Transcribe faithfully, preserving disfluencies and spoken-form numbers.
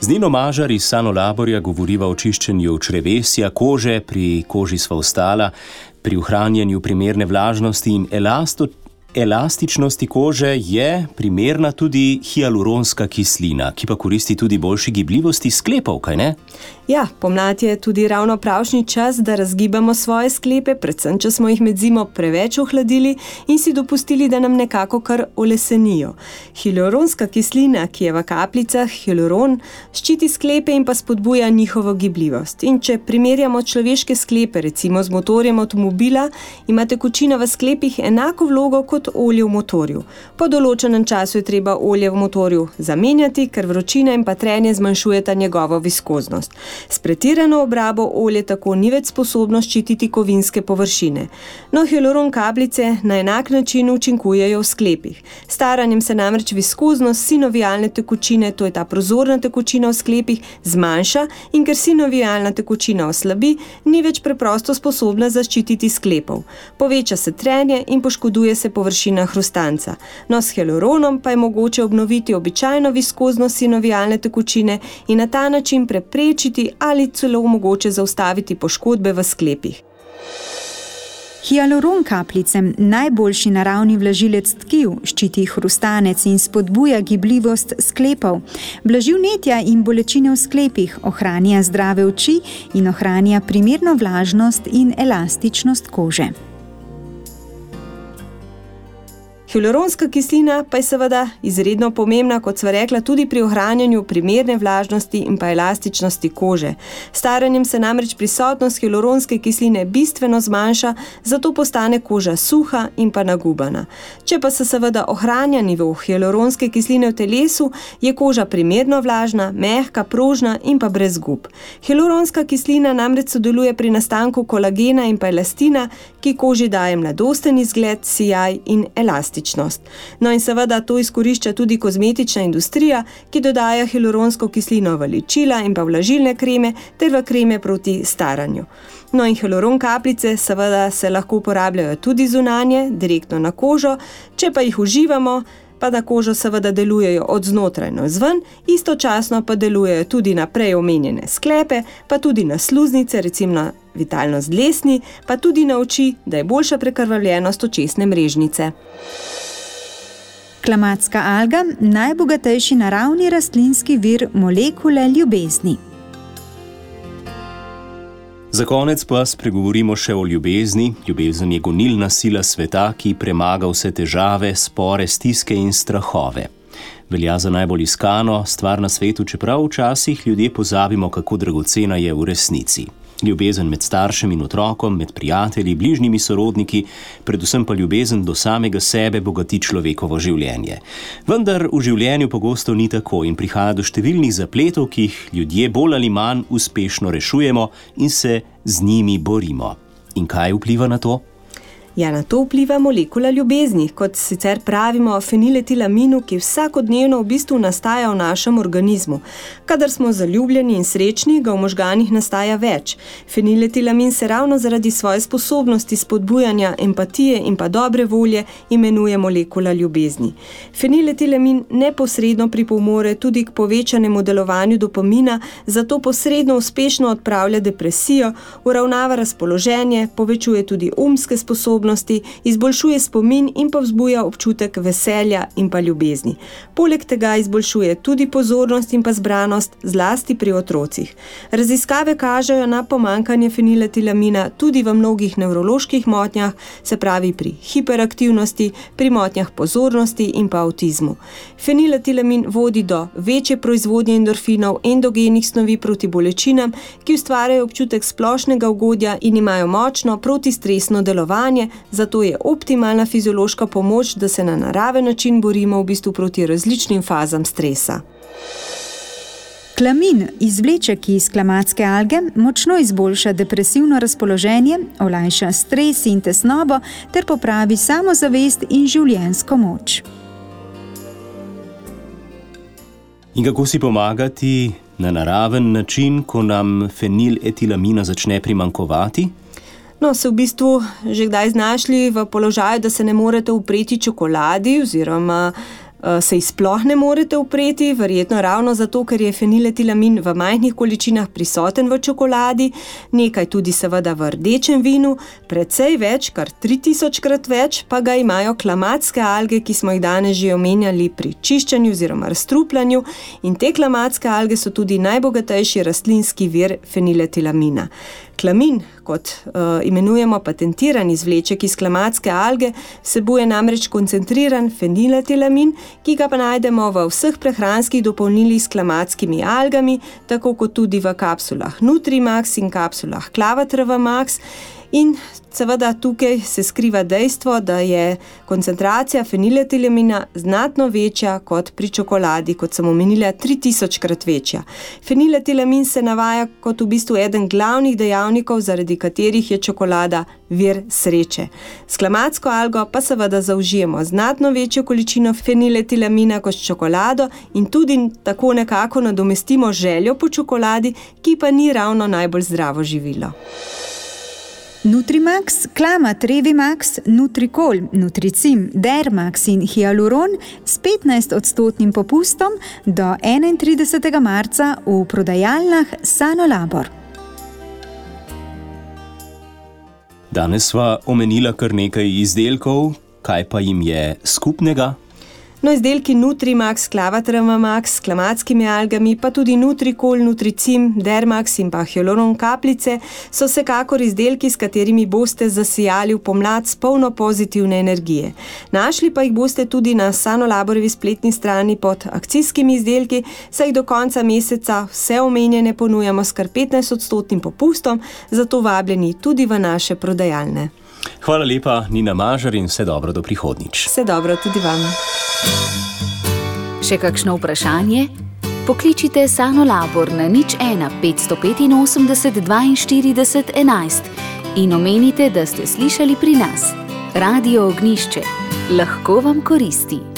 Z Nino Mažar iz Sanolaborja govoriva o čiščenju črevesja, kože, pri koži sva ostala, pri ohranjanju primerne vlažnosti in elasto, elastičnosti kože je primerna tudi hialuronska kislina, ki pa koristi tudi boljši gibljivosti sklepov, kaj ne? Ja, pomlad je tudi ravno pravšnji čas, da razgibamo svoje sklepe, predvsem, če smo jih med zimo preveč ohladili in si dopustili, da nam nekako kar olesenijo. Hialuronska kislina, ki je v kapljicah, hialuron, ščiti sklepe in pa spodbuja njihovo gibljivost. In če primerjamo človeške sklepe, recimo z motorjem avtomobila, ima tekočina v sklepih enako vlogo kot olje v motorju. Po določenem času je treba olje v motorju zamenjati, ker vročina in pa trenje zmanjšujeta njegovo viskoznost. S pretirano obrabo olje tako ni več sposobno ščititi kovinske površine. No, hialuron kapljice na enak način učinkujejo v sklepih. Staranjem se namreč viskoznost sinovialne tekočine, to je ta prozorna tekočina v sklepih, zmanjša in ker sinovialna tekočina oslabi, ni več preprosto sposobna zaščititi sklepov. Poveča se trenje in poškoduje se površina hrustanca. No, s hialuronom pa je mogoče obnoviti običajno viskoznost sinovialne tekočine in na ta način preprečiti ali celo mogoče zaustaviti poškodbe v sklepih. Hialuron kapljicem, najboljši naravni vlažilec tkiv, ščiti hrustanec in spodbuja gibljivost sklepov, blaži vnetja in bolečine v sklepih, ohranja zdrave oči in ohranja primerno vlažnost in elastičnost kože. Hialuronska kislina pa je seveda izredno pomembna, kot sva rekla, tudi pri ohranjanju primerne vlažnosti in pa elastičnosti kože. Staranjem se namreč prisotnost hialuronske kisline bistveno zmanjša, zato postane koža suha in pa nagubana. Če pa se seveda ohranja nivo hialuronske kisline v telesu, je koža primerno vlažna, mehka, prožna in pa brez gub. Hialuronska kislina namreč sodeluje pri nastanku kolagena in pa elastina, ki koži daje mladosten izgled, sijaj in elastičnost. No in seveda to izkorišča tudi kozmetična industrija, ki dodaja hialuronsko kislino v ličila in pa vlažilne kreme ter v kreme proti staranju. No in hialuron kapljice seveda se lahko uporabljajo tudi zunanje, direktno na kožo, če pa jih uživamo, pa na kožo seveda delujejo od znotraj navzven, istočasno pa delujejo tudi na prej omenjene sklepe, pa tudi na sluznice, recimo na vitalnost dlesni, pa tudi na oči, da je boljša prekrvavljenost očesne mrežnice. Klamatska alga, najbogatejši naravni rastlinski vir molekule ljubezni. Za konec pa spregovorimo še o ljubezni. Ljubezen je gonilna sila sveta, ki premaga vse težave, spore, stiske in strahove. Velja za najbolj iskano stvar na svetu, čeprav včasih ljudje pozabimo, kako dragocena je v resnici. Ljubezen med staršem in otrokom, med prijatelji, bližnjimi sorodniki, predvsem pa ljubezen do samega sebe bogati človekovo življenje. Vendar v življenju pogosto ni tako in prihaja do številnih zapletov, ki jih ljudje bolj ali manj uspešno rešujemo in se z njimi borimo. In kaj vpliva na to? Ja, na to vpliva molekula ljubezni, kot sicer pravimo feniletilaminu, ki vsakodnevno v bistvu nastaja v našem organizmu. Kadar smo zaljubljeni in srečni, ga v možganih nastaja več. Feniletilamin se ravno zaradi svoje sposobnosti spodbujanja empatije in pa dobre volje imenuje molekula ljubezni. Feniletilamin neposredno pripomore tudi k povečanemu delovanju dopamina, zato posredno uspešno odpravlja depresijo, uravnava razpoloženje, povečuje tudi umske sposobnosti, izboljšuje spomin in pa vzbuja občutek veselja in pa ljubezni. Poleg tega izboljšuje tudi pozornost in pa zbranost, zlasti pri otrocih. Raziskave kažejo na pomanjkanje feniletilamina tudi v mnogih nevroloških motnjah, se pravi pri hiperaktivnosti, pri motnjah pozornosti in pa avtizmu. Feniletilamin vodi do večje proizvodnje endorfinov, endogenih snovi proti bolečinam, ki ustvarjajo občutek splošnega ugodja in imajo močno protistresno delovanje, zato je optimalna fiziološka pomoč, da se na naraven način borimo v bistvu proti različnim fazam stresa. Klamin, izvleček iz klamatske alge, močno izboljša depresivno razpoloženje, olajša stres in tesnobo ter popravi samozavest in življenjsko moč. In kako si pomagati na naraven način, ko nam feniletilamina začne primanjkovati? No, se v bistvu že kdaj znašli v položaju, da se ne morete upreti čokoladi oziroma se jih sploh ne morete upreti, verjetno ravno zato, ker je feniletilamin v majhnih količinah prisoten v čokoladi, nekaj tudi seveda v rdečem vinu, precej več, kar tri tisočkrat več, pa ga imajo klamatske alge, ki smo jih danes že omenjali pri čiščenju oziroma razstrupljanju, in te klamatske alge so tudi najbogatejši rastlinski vir feniletilamina. Klamin, kot uh, imenujemo patentiran izvleček iz klamatske alge, vsebuje namreč koncentriran feniletilamin, ki ga pa najdemo v vseh prehranskih dopolnilih s klamatskimi algami, tako kot tudi v kapsulah Nutrimax in kapsulah Clavatrava Max. In seveda tukaj se skriva dejstvo, da je koncentracija feniletilamina znatno večja kot pri čokoladi, kot sem omenila, tri tisočkrat večja. Feniletilamin se navaja kot v bistvu eden glavnih dejavnikov, zaradi katerih je čokolada vir sreče. S klamatsko algo pa seveda zaužijemo znatno večjo količino feniletilamina kot s čokolado in tudi tako nekako nadomestimo željo po čokoladi, ki pa ni ravno najbolj zdravo živilo. Nutrimax, Klamat, Revimax, Nutrikol, Nutricim, Dermax in Hyaluron s petnajst odstotnim popustom do enaintridesetega marca v prodajalnah Sanolabor. Danes sva omenila kar nekaj izdelkov, kaj pa jim je skupnega? No, izdelki Nutrimax, Clavatrava Max s klamatskimi algami, pa tudi Nutrikol, Nutricim, Dermax in pa Hyaluron kapljice so vsekakor izdelki, s katerimi boste zasijali v pomlad s polno pozitivne energije. Našli pa jih boste tudi na Sanolaborovi spletni strani pod akcijskimi izdelki, saj do konca meseca vse omenjene ponujamo s kar petnajst odstotnim popustom, zato vabljeni tudi v naše prodajalne. Hvala lepa, Nina Mažar, in vse dobro do prihodnjič. Vse dobro tudi vam. Še kakšno vprašanje? Pokličite Sanolabor na nič ena petsto petinosemdeset dvainštirideset enajst in omenite, da ste slišali pri nas. Radio Ognjišče. Lahko vam koristi.